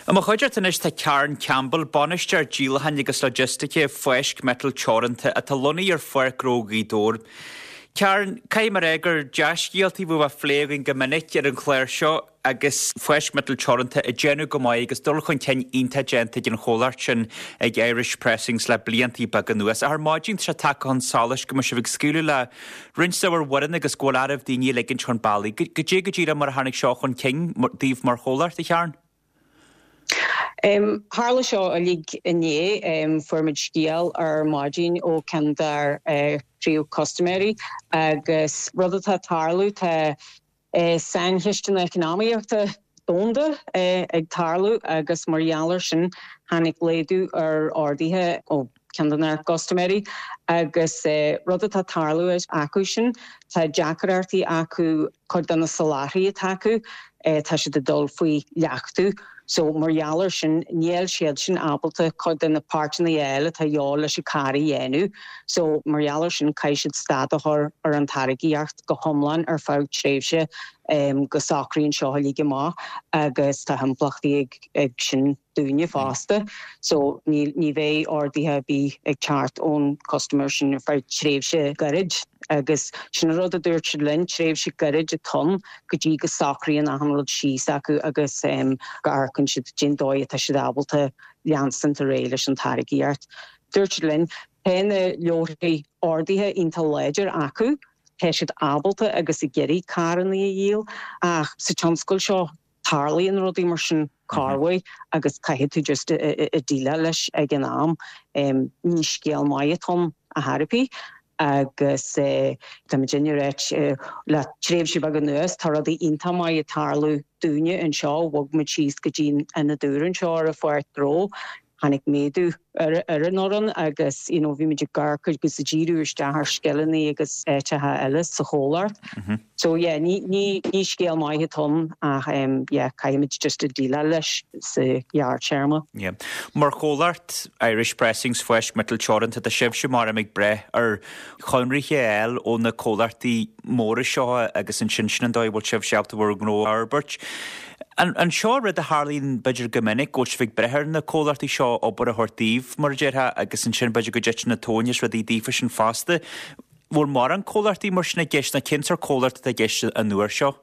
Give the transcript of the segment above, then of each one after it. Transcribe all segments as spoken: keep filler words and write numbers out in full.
I mo chuideachta anois tá Karen Campbell, bainisteoir díolacháin agus logistice Fáisc Miotal Teoranta atá lonnaithe ar Pháirc Ghnó Ghaoth Dobhair. Karen, caithfidh mé a rá gur dea-scéaltaí bhú a phlé againn go minic ar an chlár seo agus Fáisc Miotal Teoranta ag déanamh go maith agus dul chun cinn iontach déanta ag an chomhlacht sin ag Irish Pressings le blianta beaga anuas. Ar maidin tá sé tagtha chun solais go mbeidh sibh ag scaoileadh le roinnt de bhur bhfoireann agus go bhfuil oraibh daoine a ligint chun bealaigh. Goidé go díreach mar a tháinig seo chun cinn daoibh mar chomhlacht a Karen? Um, Tharla seo uilig inné um, fuair muid scéal ar maidin ó ceann dár uh, príomhchustaiméirí agus rud atá tarlú tá uh, saincheisteanna eacnamaíochta domhanda uh, ag tarlú agus mar gheall air sin tháinig laghdú ar orduithe ó ceann de na custaiméirí agus uh, rud atá tarlú acu sin tá deacrachtaí acu cuid de na soláthraithe atá acu uh, tá siad ag dul faoi leachtú. So mar gheall air sin níl siad sin ábalta cuid de na páirteanna eile atá de dhíth leis an carr a dhéanamh, so mar gheall air sin caithfidh siad stad a chur ar an táirgeacht go hiomlán ar feadh tréimhse um, go socraíonn seo uilig amach agus tá impleachtaí ag, ag sin dúinne fosta, so ní, ní bheidh orduithe bí ag teacht ón customer sin ar feadh tréimhse gairid. agus sin rud a dúirt siad linn tréimhse gairid atá ann go dtí go socraíonn an rud síos acu agus um, go amharcann siad cén dóigh atá siad ábalta leanstan ar aghaidh leis an táirgeacht. Dúirt siad linn tá na leabharthaí orduithe iontach láidir acu, tá siad ábalta agus ag iarraidh carranna a dhíol ach sa tionscal seo tarlaíonn rudaí mar sin corruair agus caithfidh tú just déileáil leis ag an am um, ní scéal maith atá ann a tharpí. agus eh, Tá réit eh, le tréimhse beag anuas tá rudaí iontach maith ag tarlú dúinne anseo bhog muid síos go dtí an dúr anseo ar an pháirc ghnó tháinig méadú ar ar an fhoireann agus you know, bhí muid ag amharc agus ag díriú isteach ar scileanna agus áiteacha eile sa chomhlacht. Mm -hmm. So yeah, ní ní ní scéal maith atá ann ach um, yeah, caithfimid just déileáil leis sa ghearrthéarma. Yeah. Mar chomhlacht Irish Pressings Fáisc Miotal Teoranta tá sibhse mar ag breith ar chonarthaí eile ó na comhlachtaí móra seo agus ansin sin an dóigh bhfuil sibh ábalta bhur ngnó a fhorbairt. An, an seo rud a tharlaíonn b'fhéidir go minic go bhfuil ag breith ar na comhlachtaí seo obair a thabhairt daoibh mar a déarfá agus ansin b'fhéidir go dtiteann na tóin as rudaí daofa sin fosta. Bhfuil mórán comhlachtaí mar sin i gceist nó cén sórt comhlacht atá i gceist an uair seo?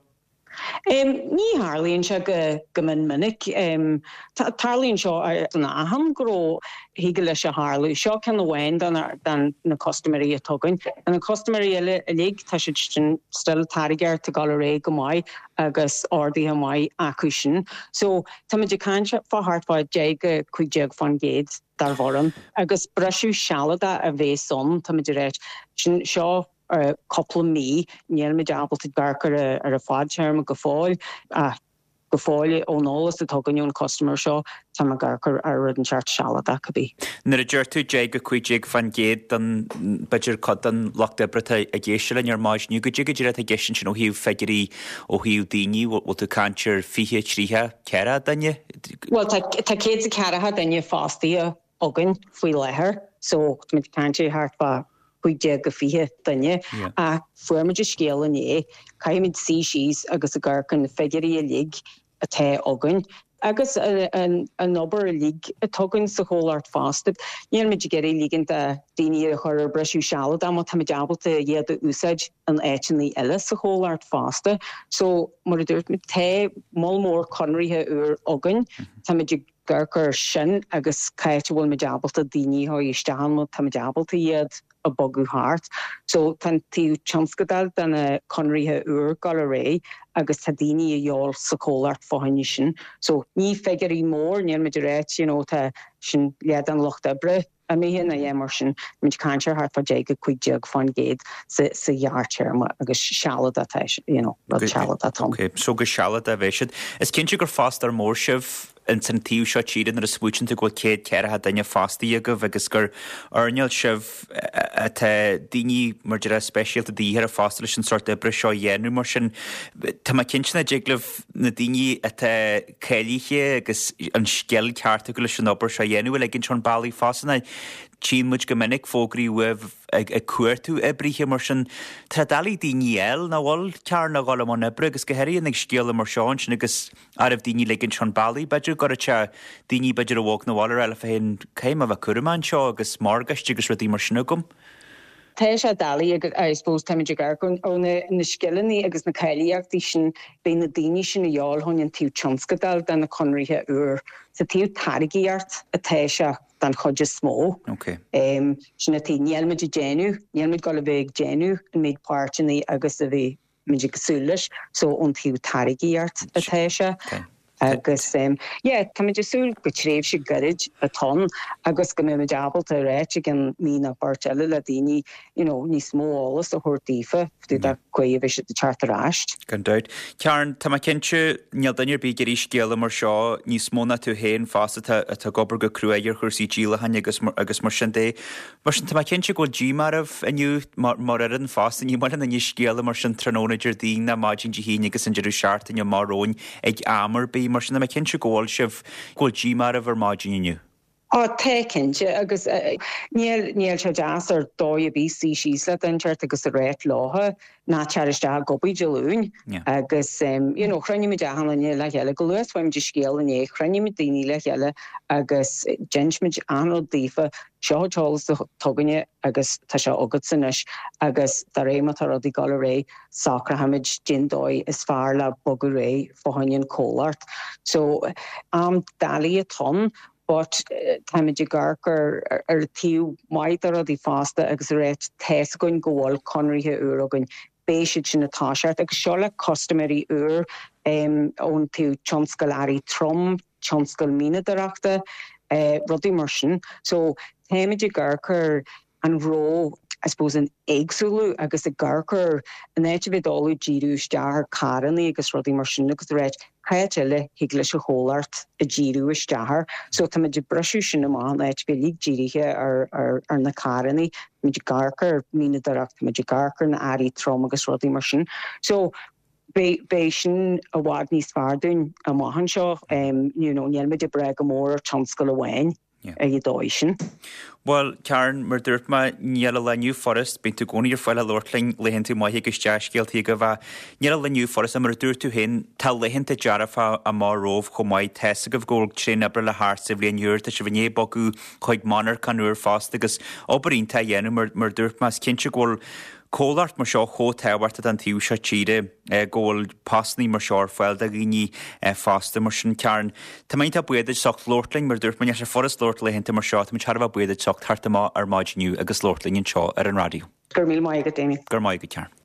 Um, ní tharlaíonn sé go go min minic um, tarlaíonn seo an achan gnó thig leis a tharlú seo ceann amháin den na custaiméirí atá againn. An na custaiméirí eile uilig tá siad sin still táirgeacht ag dul ar aghaidh go maith agus orduithe maith acu sin. So tá muid ag caint fá thart fá deich go cúig déag faoin gcéad dár bhfoireann. Agus briseadh sealadach a bheas ann tá muid réit sin seo uh, cúpla mí níl muid ábalta amharc ar ar a fadtéarma go fóill ach go fóill ón eolas atá againn ón customer seo tá ag amharc ar rud inteacht sealadach a bhí. Nuair a deir tú deich go cúig déag faoin gcéad den b'fhéidir cuid den lucht oibre ag éisteacht linn ar maidin goidé go díreach atá i gceist sin ó thaobh figiúirí ó thaobh daoine bhfuil tú ag caint ar fiche tríocha ceathracha duine? Well tá céad is ceathracha duine fostaithe againn faoi láthair, so muid ag caint thart fá cúig déag go fiche duine a fuair muid an scéal inné caithfimid suí síos agus ag amharc ar na figiúirí uilig atá againn. Agus an obair uilig atá againn sa chomhlacht fosta. Níl muid ag iarraidh ligint daoine a chur ar briseadh sealadach má tá muid ábalta iad a úsáid in áiteanna eile sa chomhlacht fosta. So mar a dúirt muid tá moll mór conarthaí úr againn Tá muid ag amharc air sin agus cá háit a bhfuil muid ábalta daoine a chur isteach tá muid ábalta iad a bhogadh thart. So tá tionscadal den na conarthaí úr ag dul ar aghaidh agus tá daoine a dhíobháil sa chomhlacht fá choinne sin. So ní figiúirí mór níl muid réit you know, tá sin leath an lucht oibre a mí na é mar sin muid ag caint thart fá deich go cúig déag faoin gcéad sa sa ghearrthéarma agus sealadach you know, sealadach atá. Okay, so go sealadach a bheidh siad. Is cinnte gur fostóir mór sibh in san taobh seo tíre nuair a smaoiníonn tú go bhfuil céad ceathracha duine fostaithe agaibh agus gur earnáil sibh atá daoine mar deire speisialta de dhíth fosta leis an sórt oibre seo a dhéanamh mar sin. Tá mé cinnte nach dtig libh na daoine atá cáilithe agus an scil ceart acu leis an obair seo a dhéanamh a ligint chun bealaigh fosta. Tchíonn muid go minic fógraí uaibh ag ag cuartú oibrithe mar sin. Tá doiligh daoine a fháil nach bhfuil Karen a dhul i mbun oibre agus go háirithe ag scéala mar seo ansin agus arbh daoine ligint chun bealaigh b'fhéidir go raibh sé daoine b'fhéidir a bhog na bhfuil ar eile féin caithfidh mé a bheith cúramach anseo agus morgáiste agus rudaí mar sin agam. Tá sé doiligh agus I suppose táimid ag amharc ó na na scileanna agus na cáilíochtaí sin beidh na daoine sin a dhíobháil chun an taobh tionscadail de na conarthaí úr. Sa taobh táirgíocht atá sé den chuid is mó. Okay. Um, sin a tí níl muid ag déanamh, níl muid ag bheith ag déanamh an méid páirteanna agus a bhí muid ag súil leis, so ón taobh táirgíocht atá sé. Okay. Agus um, yeah, táimid ag súil go tréimhse gairid atá ann agus go mbeimid ábalta réiteach i gceann mí nó beirt eile le daoine you know, níos mó eolas a thabhairt daofa faoi dá gcuid a bhí siad ag teacht ar ais. Gan dabht. Karen, tá mé cinnte níl duine ar bith ag iarraidh scéala mar seo níos mó ná tú féin fosta atá atá ag obair go crua ar chúrsaí díolacháin agus mar, agus mar sin de. Mar sin tá mé cinnte go bhfuil díomá oraibh inniu mar mar fhoireann fosta ní maith linn scéala mar sin tráthnóna Déardaoin ná maidin Dé hAoine agus an deireadh seachtaine mar romhainn ag am ar bith mar sin tá mé cinnte go bhfuil sibh go bhfuil díomá oraibh ar maidin inniu. Á tá cinnte agus uh, níl níl sé deas ar dóigh ar bith suí síos le duine inteacht agus a ráit leotha ná tar isteach ag obair Dé Luain Yeah. agus um, you know, chruinnigh muid achan duine le chéile go luath fuair muid an scéal inné chruinnigh muid daoine le chéile agus d'inis muid an rud daofa seo an t-eolas atá againne agus tá sé agat anois agus de réir mar atá rudaí ag dul ar aghaidh socróimid cén dóigh is fearr le bogadh ar aghaidh fá choinne an comhlacht. So am doiligh atá ann, but uh, táimid ag amharc ar ar ar taobh maith de rudaí fosta agus a ráit tá a fhios againn go bhfuil conarthaí úr againn beidh siad sin ag toiseacht agus seo le custaiméirí úr um, ón taobh tionscal earraí trom, tionscal mianadóireachta, uh, rudaí mar sin. So táimid ag amharc ar an ró I suppose an éagsúlú agus ag amharc ar an áit a bheith dul díriú isteach ar carranna agus rudaí mar sin agus ráit cad eile thig leis an chomhlacht a dhíriú isteach air. So táimid ag briseadh sin amach an áit bheith dírithe ar, ar, ar na carranna, muid ag amharc ar mhianadóireacht, muid ag amharc ar na earraí trom agus rudaí mar sin. So beidh sin i bhfad níos fearr dúinn amach anseo um, you know, níl muid ag brath go mór ar tionscal amháin Yeah. ag an dóigh sin. Well, Karen, mar dúirt mé níl a leniu furas, bíonn tú i gcónaí ar fáil le labhairt linn laethanta maithe agus dea-scéalta go bheith. Níl a leniu furas mar a dúirt tú féin tá laethanta dearfa amach romhaibh chomh maith tá a fhios agaibh go bhfuil tréan oibre le theacht sa bhliain úr, tá sibh i ndiaidh bogadh chuig monarcha úr fosta agus obair iontach a dhéanamh mar mar dúirt mé is cinnte go bhfuil comhlacht mar seo chomh tábhachtach don taobh seo tíre eh, go bhfuil postanna mar seo ar fáil do dhaoine eh, fosta mar sin Karen. Tá mé iontach buíoch duit as ucht labhairt linn mar dúirt mé sé furast labhairt laethanta mar seo, Tá thar a bheith buíoch duit as ucht theacht amach ar maidin inniu agus labhairt linn anseo ar an raidió. Gur mí maith go déine. Gur maith go Karen.